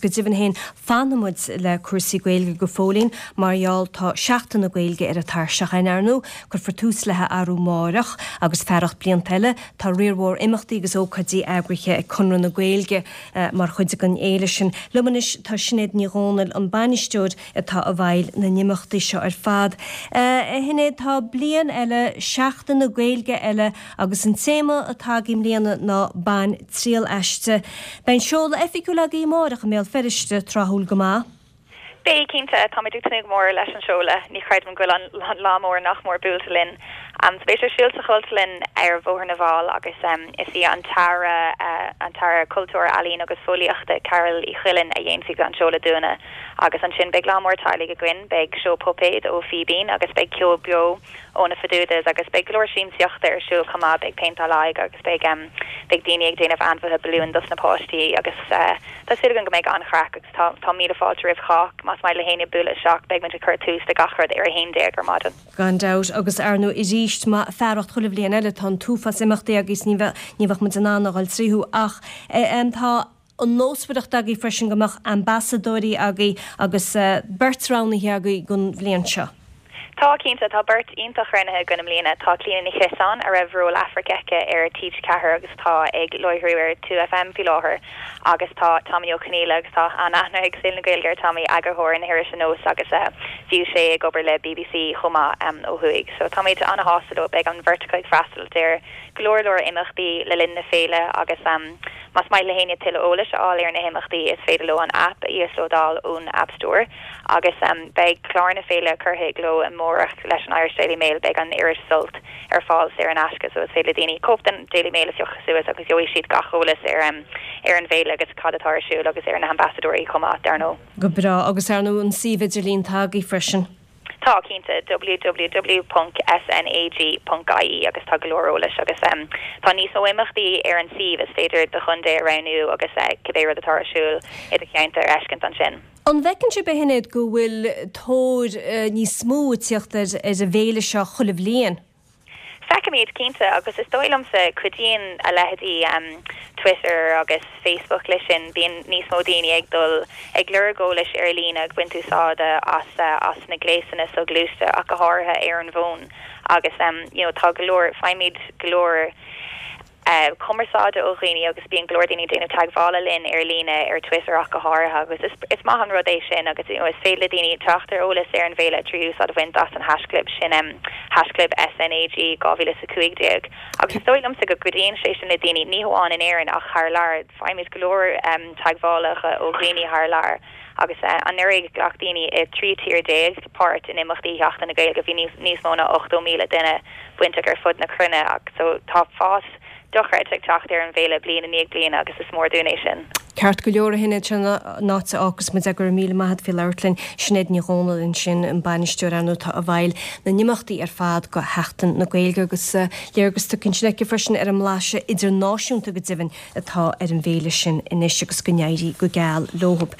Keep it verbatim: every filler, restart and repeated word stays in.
go deimhin féin fanfaidh muid le cúrsaí Gaeilge go fóillín mar gheall tá Seachtain na Gaeilge ar an tairseach againn ar ndóigh cuirfear tús léi arú amárach agus fearacht blianta eile tá riar mhór imeachtaí agus ócáidí eagraithe ag Conradh na Gaeilge eh, mar chuid den fhéile sin. Liom anois tá Sinéad Ní Dhomhnaill an bainisteoir atá i bhfeighil na n-imeachtaí seo ar fad. Eh, a Shinéad tá bliain eile Seachtain na Gaeilge eile agus an téama atá i mbliana ná bain triail aisti. Beidh an seoladh oifigiúil agaibh amárach i mBéal Feirste tráthúil go maith. Beidh cinnte táimid ag tnúth go mór leis an seoladh ní chreidim go bhfuil an lá mór nach mór buailte linn. Um, so beidh sé ar siúl sa Chultúrlann ar Bhóthar na bhFál agus um, is í an tAire uh, an tAire Cultúir Ealaíon agus Fóillíochta Carol Ní Chuilín a dhéanfaidh an seoladh dúinne agus ansin beidh lá mór teaghlaigh againn beidh seó puipéad ó Fíbín agus beidh ceol beo ó na Fadudas agus beidh go leor siamsaíochta ar siúl chomh maith beidh péinteáil aghaidhe agus beidh um, beidh daoine ag déanamh ainmhithe balúin dos na páistí agus uh, tá súil go mbeidh an-chraic agus tá tá míle fáilte roimh chách más maith le héinne bualadh isteach beidh muid ag cur tús le gach rud ar a haon déag ar maidin. Gan dabht agus ar ndóigh arís má fearacht chuile bhliain eile tá an t-uafás imeachtaí agus ní ní bheadh muid in ann a dhul tríothu ach eh, tá an nósmhaireacht agaibh freisin go mbeadh ambasadóirí agaibh agus uh, beirt roghnaithe agaibh don bhliain seo. Tá cinnte tá beirt iontach roghnaithe againn i mbliana tá Clíona Ní Chiosáin a raibh ról Aifric aici ar T ceathair agus tá ag láithriú ar two FM faoi láthair agus tá Tommy Ó Conghaile agus tá an-aithne ag saol na Gaeilge ar Tommy eagarthóir na hirise NÓS agus uh, bhí sé ag obair le BBC chomh maith um, ó thuaidh. So táimid an-shásta leo beidh an bheirt acu ag freastal ar go leor leor imeachtaí le linn na féile agus um, Más maith le héinne tuilleadh eolais a fháil ar na himeachtaí is féidir leo an app a íoslódáil ón App Store agus um, beidh clár na féile curtha i gcló amárach leis an Irish Daily Mail beidh an iris Sult ar fáil saor in aisce so is féidir daoine cóip den Daily Mail a phiocadh suas agus gheobhaidh siad gach eolas ar um, ar an bhféile agus cad atá ar siúl agus ar na hambasadóirí chomh maith dar ndóigh. Go breá agus ar ndóigh an suíomh idirlín atá agaibh freisin. Tá cinnte www.snag.ie agus tá go leor eolais agus um, tá níos mó imeachtaí ar an suíomh is féidir do chontae a roghnú agus uh, cibé rud atá ar siúl i do cheantar a fheiscint ansin. An bhfeiceann sibh a Shinéad go bhfuil tóir uh, níos mó ag teacht ar ar an bhféile seo chuile bhliain. Feicimid cinnte agus is dóigh liomsa cuidíonn a leithéidí um, Twitter agus Facebook leis sin bíonn níos mó daoine ag dul ag lorg eolais ar líne ag baint úsáide as uh, as na gléasanna soghluaiste ach go háirithe ar an bhfón agus um, you know, tá go leor faighimid go leor uh, cumarsáide ó dhaoine agus bíonn go leor daoine déanamh teagmhála linn ar líne ar Twitter ach go háirithe agus is, is maith an rud é sin agus you know, is féidir le daoine teacht ar eolas ar an bhféile trí úsáid a bhaint as an haischlib sin um, haischlib SNAG dhá mhíle a cúig déag. Agus is dóigh liomsa go gcuidíonn sé sin le daoine ní hamháin in Éirinn ach thar lear faighimid go leor um, teagmhálacha ó dhaoine thar lear. agus uh, anuraidh ghlac daoine i trí tír déag páirt in imeachtaí Sheachtain na Gaeilge bhí níos mó ná ochtó míle duine bainteach ar fud na cruinne ach so tá fás dochreidte ag teacht ar an bhféile bliain i ndiaidh bliana agus is mór dúinn é sin. Ceart go leor a Shinéad sin náte agus mu gur míle maith faoi labhairt linn Sinéad Ní Dhomhnaill sin an bainisteoir atá i bhfeighil na n-imeachtaí ar fad go Sheachtain na Gaeilge agus uh, léargas tugtha aici freisin ar an mblaiseadh idirnáisiúnta go deimhin atá ar an bhféile sin anois agus go n-éirí go geal leob.